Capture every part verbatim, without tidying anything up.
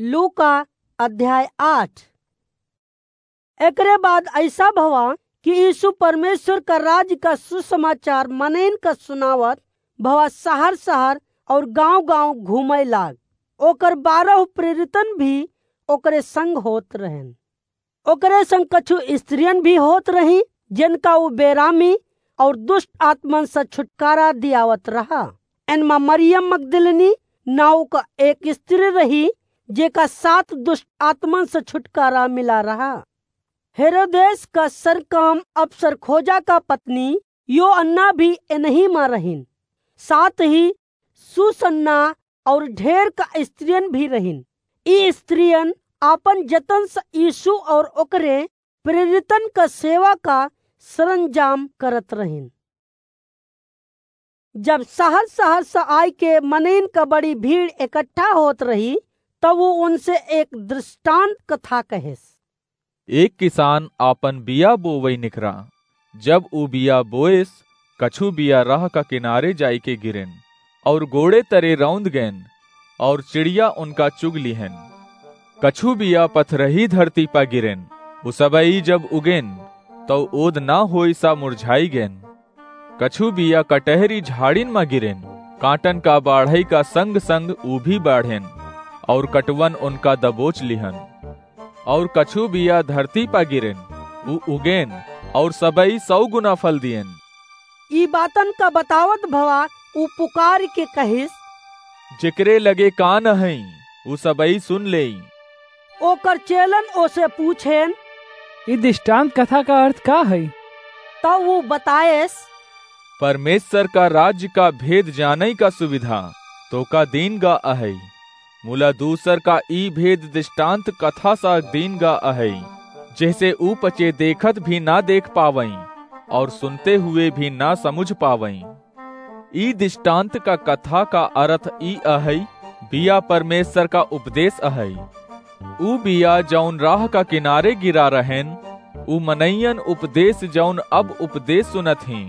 लूका अध्याय आठ। एकरे बाद ऐसा भवा कि यीशु परमेश्वर का राज का सुसमाचार मनइन का सुनावत भवा शहर शहर और गांव गांव घूमे लाग। ओकर बारह प्रेरितन भी ओकरे संग होत रहन। ओकरे संग कछु स्त्रियन भी होत रही, जिनका उ बेरामी और दुष्ट आत्मन से छुटकारा दियावत रहा। एनमा मरियम मगदलिनी नाव का एक स्त्री रही, जेका सात दुष्ट आत्मन से छुटकारा मिला रहा। हेरोदेस का सरकाम अफसर खोजा का पत्नी योअन्ना भी एनही मा रहिन। साथ ही सुसन्ना और ढेर का स्त्रियन भी रहिन। ई स्त्रियन आपन जतन से यीशु और ओकरे प्रेरितन का सेवा का सरंजाम करत रहिन। जब शहर शहर से आय के मनइन का बड़ी भीड़ इकट्ठा होत रही, तब वो उनसे एक दृष्टांत कथा कहेस। एक किसान आपन बिया बोवई निकरा। जब उ बिया बोएस, कछु बिया राह का किनारे जाइके गिरेन और गोड़े तरे रौंद गएन और चिड़िया उनका चुग लिहेन। कछु बिया पथरही धरती पा गिरेन, उ सबई जब उगेन, तौ ओद ना होई सा मुरझाई गएन। कछु बिया कटहरी झाड़िन मा गिरेन, कांटन का बाढ़ई का संग संग उ भी बाढ़ेन और कटवन उनका दबोच लिहन। और कछु बिया धरती पा गिरेन, उ उगेन और सबई सौ गुना फल दिएन। ई बातन का बतावत भवा उ पुकार के कहिस, जेकरे लगे कान अहई, उ सबई सुन लेई। ओकर चेलन ओसे पूछेन, ई दृष्टांत कथा का अर्थ का है? तब उ बताएस, परमेश्वर का राज्य का भेद जानई का सुविधा तोका दीन गा अहई। मुला दूसर का ई भेद दृष्टांत कथा सा दीन गा अहई, जैसे ऊ पचे देखत भी ना देख पावई और सुनते हुए भी ना समुझ पावई। ई दृष्टांत का कथा का अर्थ ई अहई, बिया परमेश्वर का उपदेश अहई। ऊ बिया जौन राह का किनारे गिरा रहेन, ऊ मनइयन उपदेश जौन अब उपदेश सुनत ही।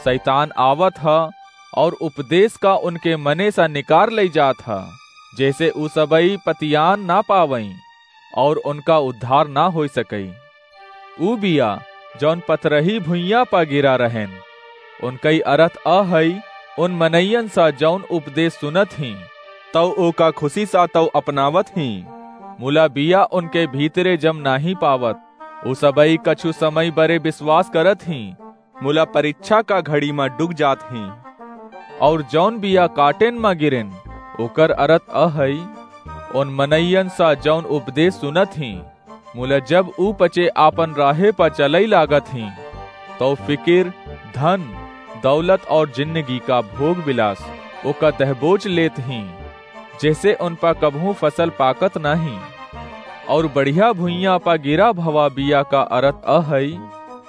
शैतान आवत ह और उपदेश का उनके मने सा निकार लई जात ह, जैसे ऊ सबई पतियान ना पावई और उनका उद्धार ना होई सकई। ऊ बिया जौन पथरही भुइयां पा गिरा रहेन, उनकई अरथ अहई, उन मनइयन सा जौन उपदेश सुनत ही, तौ ओका खुशी सा तौ अपनावत ही। मुला बिया उनके भीतरे जम नाही पावत। ऊ सबई कछु समय बरे विश्वास करत ही, मुला परीक्षा का घड़ी मा डूब जात ही। और जौन बिया काटेन मा गिरेन, ओकर अरथ अहई, उन मनइयन सा जौन उपदेश सुनत ही, मुला जब ऊ पचे आपन राहे पा चलई लागत ही, तौ फिकिर, धन, दौलत और जिंदगी का भोग विलास ओका दहबोच लेत ही, जैसे उन पा कबहूँ फसल पाकत नाही। और बढ़िया भुइयां पा गिरा भवा बिया का अरथ अहई,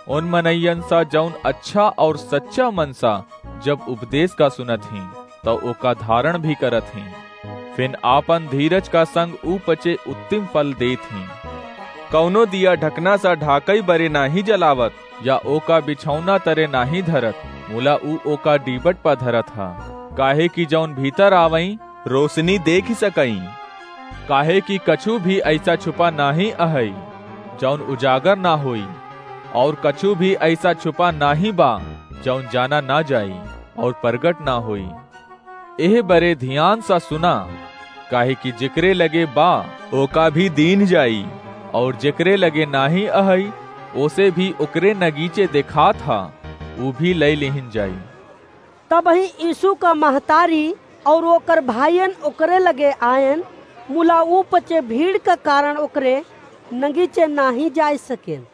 उन मनइयन सा जौन अच्छा और सच्चा मन सा जब उपदेश का सुनत ही, तौ ओका धारण भी करत ही। फिन आपन धीरज का संग ऊ पचे उत्तम फल देत ही। कौनो दिया ढकना सा ढाकई बरे नाही जलावत, या ओका बिछौना तरे नाही धरत, मुला ऊ ओका डीबट पा धरत ह, काहे कि जौन भीतर आवई, रोशनी देखि सकई। काहे कि कछु भी ऐसा छुपा नाही अहई, जौन उजागर ना होई, और कछु भी ऐसा छुपा नाही बा, जौन जाना ना जाई और प्रगट ना होई। एह बरे ध्यान सा सुना, काहे कि जेकरे लगे बा, ओका भी दीन जाई, और जेकरे लगे नाही अहई, ओसे भी ओकरे नगीचे देखात हा, ऊ भी लई लिहिन जाई। तबही यीशु का महतारी और ओकर भाइयन ओकरे लगे आयन, मुला ऊ पचे भीड़ का कारण ओकरे नगीचे नाही जाय सकेन।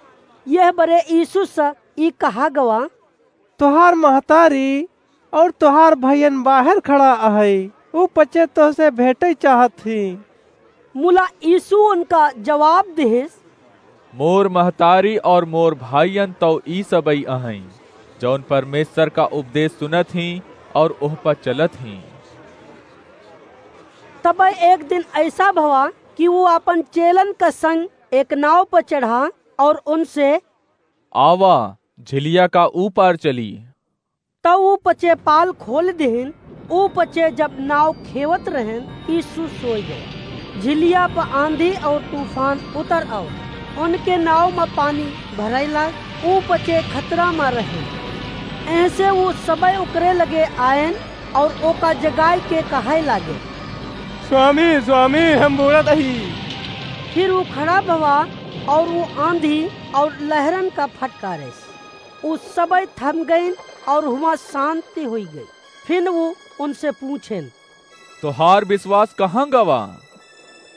यह बरे यीशु से ई कहा गवा, तोहार महतारी और तोहार भाइयन बाहर खड़ा अहई, ऊ पचे तोहसे भेंटई चाहत ही। मुला यीशु उनका जवाब दिहिस, मोर महतारी और मोर भाइयन तौ ई सबई अहई, जौन परमेश्वर का उपदेश सुनत ही और ओह पर चलत ही। तब एक दिन ऐसा भवा कि वो अपन चेलन का संग एक नाव पर चढ़ा और उनसे, आवा, झिलिया का ऊ पार चली। तब ऊ पचे पाल खोल दिहिन। ऊ पचे जब नाव खेवत रहेन, यीशु सोय गए। झिलिया प आँधी अउर तूफान उतर आव, उनके नाव म पानी भरइ लाग, ऊ पचे खतरा म रहे। एहसे ऊ सबइ ओकरे लगे आएन अउर ओका जगाइ के कहइ लागे, "स्वामी, स्वामी, हम बूड़त अही।" फिर ऊ खड़ा भवा अउर ऊ आँधी अउर लहरन का फटकारेस। ऊ सबइ थम गइन अउर हुआँ सान्ति हुइ गइ। फिन ऊ उनसे पूछेन, "तोहार बिसवास कहाँ गवा?"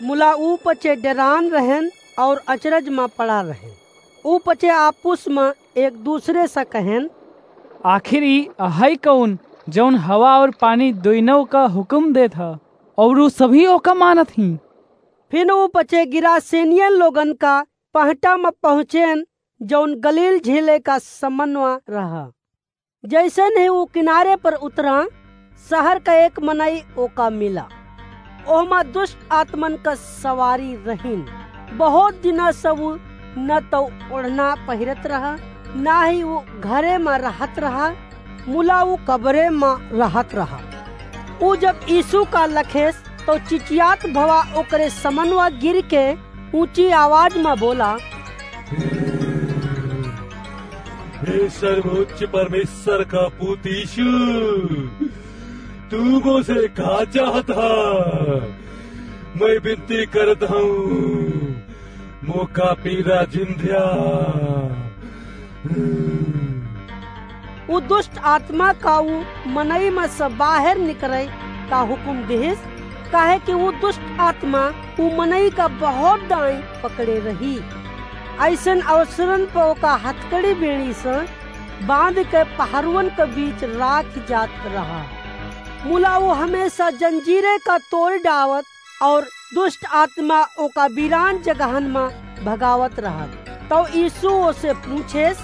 मुला ऊ पचे डेरान रहेन अउर अचरज म पड़ा रहेन। ऊ पचे आपुस म एक दूसरे स कहेन, "आखिर ई अहइ कउन, जउन हवा अउर पानी दुइनउ का हुकुम देत ह, अउर ऊ सभी ओका मानत हीं?" फिन ऊ पचे गिरासेनियन लोगन का पहटा म पहुँचेन, जउन गलील झीले का समनवा रहा। जइसनही ऊ किनारे पर उतरा, सहर का एक मनई ओका मिला। ओहमा दुष्ट आत्मन का सवारी रहिन। बहुत दिना से ऊ न तउ ओढ़ना पहिरत रहा, ना ही ऊ घरे म रहत रहा, मुला ऊ कबरे म रहत रहा। ऊ जब यीशु का लखेस, तउ चिचियात भवा ओकरे समनवा गिर के ऊँची आवाज म बोला, "हे सर्वोच्च परमेश्वर का पूत यीशु, तू मोसे का चाहत ह? मैं बिनती करत हूँ, मोका पीरा जिन द्या।" ऊ दुष्ट आत्मा का ऊ मनई म से बाहेर निकरइ का हुकुम दिहिस, काहे कि ऊ दुष्ट आत्मा ऊ मनई का बहुत दाईं पकड़े रही। अइसन अवसरन प ओका हथकड़ी बेड़ी स बाँध के पहरुअन के बीच राखि जात रहा। मुला ऊ हमेसा जंजीरे का तोड़ डावत अउर दुष्ट आत्मा ओका बिरान जगहन म भगावत रहत। तउ यीशु ओसे पूछेस,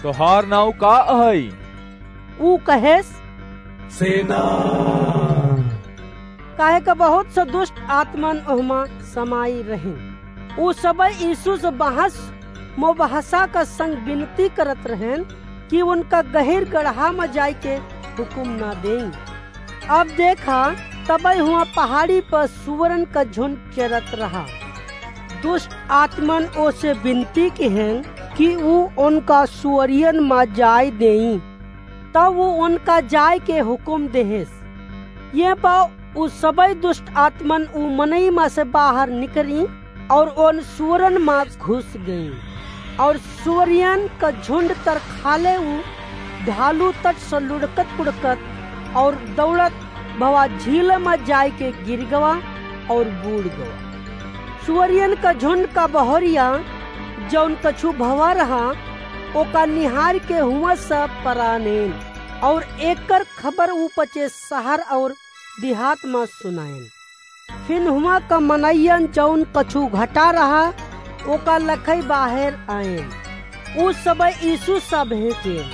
"तोहार नाउँ का अहइ?" ऊ कहेस, "सेना।" काहे क बहुत स दुष्ट आत्मन ओहमा समाई रहिन। ऊ सबइ यीशु स बहस मोबहसा का संग बिनती करत रहेन कि उनका गहिर गड़हा म जाइके हुकुम न देई। अब देखा, तबइ हुआँ पहाड़ी प सुअरन क झुंड चरत रहा। दुष्ट आत्मन ओसे बिनती किहेन कि ऊ उनका सुअरियन म जाए देई। तब ऊ उनका जाए के हुकुम देहेस। ये प ऊ सबइ दुष्ट आत्मन ऊ मनई म से बाहर निकरी अउर ओन सुअरन म घुस गई। अउर सुअरियन क झुंड तर खाले ऊ ढालू तट स लुढ़कत पुढ़कत अउर दौड़त भवा झील म जाइके गिर गवा अउर बूड़ गवा। सुअरियन क झुंड क बहरिया जउन कछु भवा रहा, ओका निहार के हुआँ स परानेन अउर एकर खबर ऊ पचे सहर अउर दिहात म सुनाएन। फिन हुआँ क मनइयन जउन कछु घटा रहा, ओका लखइ बाहेर आएन। ऊ सबइ यीशु स भेंटेन,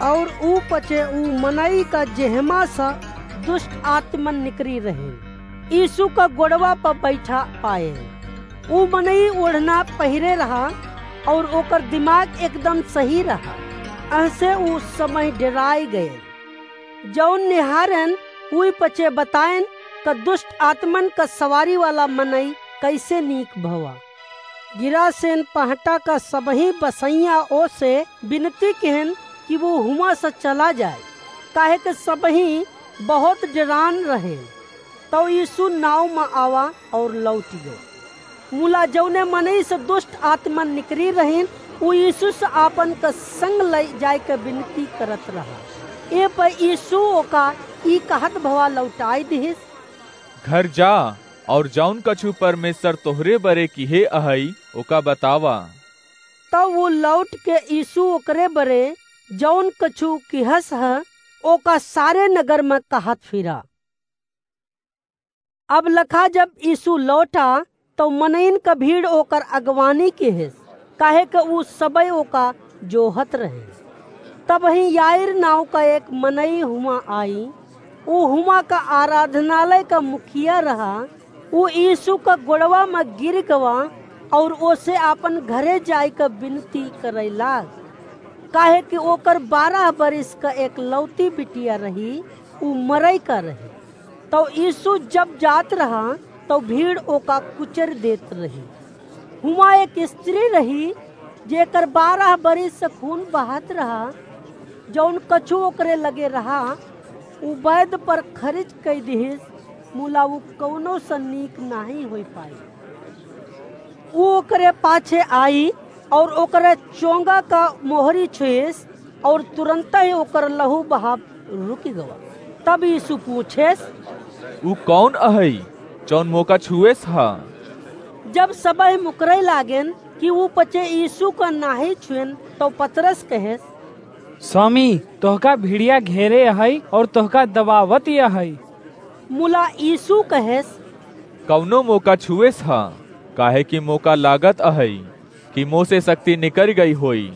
अउर ऊ पचे ऊ मनई क जेहमा स दुष्ट आत्मन निकरी रहेन, यीशु क गोड़वा प बइठा पाएन। ऊ मनई ओढ़ना पहिरे रहा, अउर ओकर दिमाग एकदम सही रहा, एहसे ऊ सबइ डेराइ गएन। जउन निहारेन, उइ पचे बताएन क दुष्ट आत्मन क सवारी वाला मनई कइसे नीक भवा। गिरासेन पहटा क सबही बसइया ओसे बिनती किहेन कि ऊ हुआँ स चला जाए, काहे कि सबही बहुत डेरान रहेन। तउ यीशु नाव म आवा अउर लौटि गए। मुला जउने मनई से दुष्ट आत्मा निकरी रहिन, उ यीशु से आपन क संग लइ जाइके बिनती करत रहा। ए पर यीशु ओका ई कहत भवा लौटाइ दिहिस, "घर जा अउर जउन कछु परमेश्वर तोहरे बरे किहे अहइ, ओका बतावा।" तब उ लौटिके यीशु ओकरे बरे जउन कछु किहस ह, ओका सारे नगर म कहत फिरा। अब लखा जब यीशु लौटा, तउ मनइन क भीड़ ओकर अगवानी किहिस, काहे क उ सबइ ओका जोहत रहे। तबहीं याईर नाउँ क एक मनई हुआँ आई, उ हुआँ क आराधनालय क मुखिया रहा। उ यीशु क गोड़वा म गिर गवा अउर ओसे आपन घरे जाइके बिनती करइ लाग, काहे कि ओकर बारह बरिस क एकलौती बिटिया रही, उ मरइ क रही। तउ यीशु जब जात रहा, तउ भीड़ ओका कुचर देत रही। हुआँ एक स्त्री रही, जेकर बारह बरिस से खून बहत रहा। जउन कछु ओकरे लगे रहा, उ वैद्य पर खरिच कइ दिहिस, मुला उ कउनो से नीक नाहीं होइ पाई। उ ओकरे पाछे आई अउर ओकरे चोंगा का मोहरी छुइस, अउर तुरन्तइ ओकर लहू बहाव रुकि गवा। तब यीसू पूछेस, "उ कउन अहइ, जउन मोका छुएस ह?" जब सबहि मुकरइ लागेन कि उ पचे यीसू का नाहीं छुएन, तउ पतरस कहेस, "स्वामी, तोहका भिड़िया घेरे अहइ अउर तोहका दबावति अहइ।" मुला यीसू कहेस, "कउनो मोका छुएस ह, काहेकि मोका लागत अहइ कि मोसे सक्ति निकरि गइ होई।"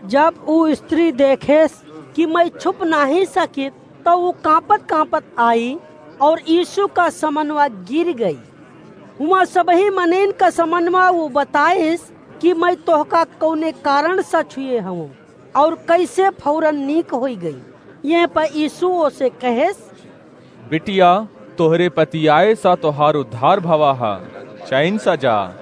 जब उ स्त्री देखेस कि मइँ छुप नाहीं सकित, तउ उ काँपत-काँपत आई अउर यीसू का समनवा गिरि गई। हुआँ सबही मनइन का समनवा उ बताइस कि मइँ तोहका कउने कारण से छुए हवँ अउर कइसे फौरन नीक होइ गई। यह पर यीसू ओसे कहेस, "बिटिया, तोहरे पतियाए सा तोहार उद्धार भवा ह, चैन सा जा।"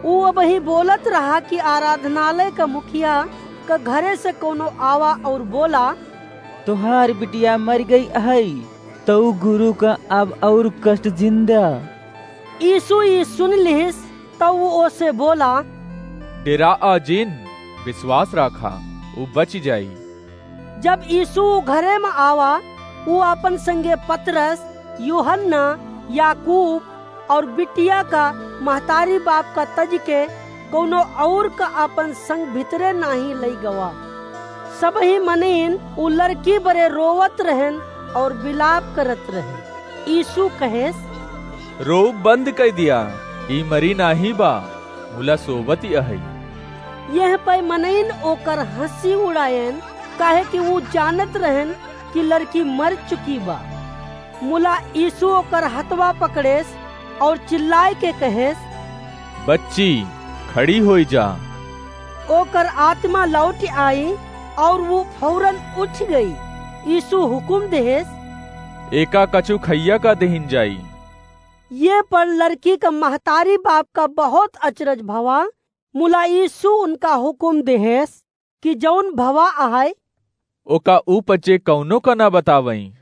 उ अबही बोलत रहा कि आराधनालय का मुखिया का घरे से कउनो आवा अउर बोला, "तोहार बिटिया मरि गइ अहइ, तउ गुरु का अब अउर कष्ट जिन्दा।" यीसू ई सुनि लिहिस, तउ उ ओसे बोला, "डेराआ जिन, बिसवास राखा, उ बचि जाई।" जब यीसू घरे म आवा, उ आपन संगे पतरस, यूहन्ना, याकूब अउर बिटिया का महतारी बाप का तजि के कउनो अउर का आपन संग भितरे नाहीं लइ गवा। सबही मनइन उ लरकी बरे रोवत रहेन अउर बिलाप करत रहेन। यीसू कहेस, "रोब बंद कइ दिया, ई मरी नाहीं बा, मुला सोवति अहइ।" यह पइ मनइन ओकर हँसी उड़ाएन, काहेकि उ जानत रहेन कि लरकी मर चुकी बा। मुला यीसू ओकर हथवा पकड़ेस अउर चिल्लाइ के कहेस, "बच्ची, खड़ी होइ जा।" ओकर आत्मा लौटि आई अउर उ फौरन उठि गई। यीसू हुकुम देहेस, "एका कछु खइया का दिहिन जाई।" ये पर लरकी का महतारी बाप का बहुत अचरज भवा। मुला यीसू उनका हुकुम देहेस कि जउन भवा अहइ, ओका ऊ पचे कउनो का न बतावइँ,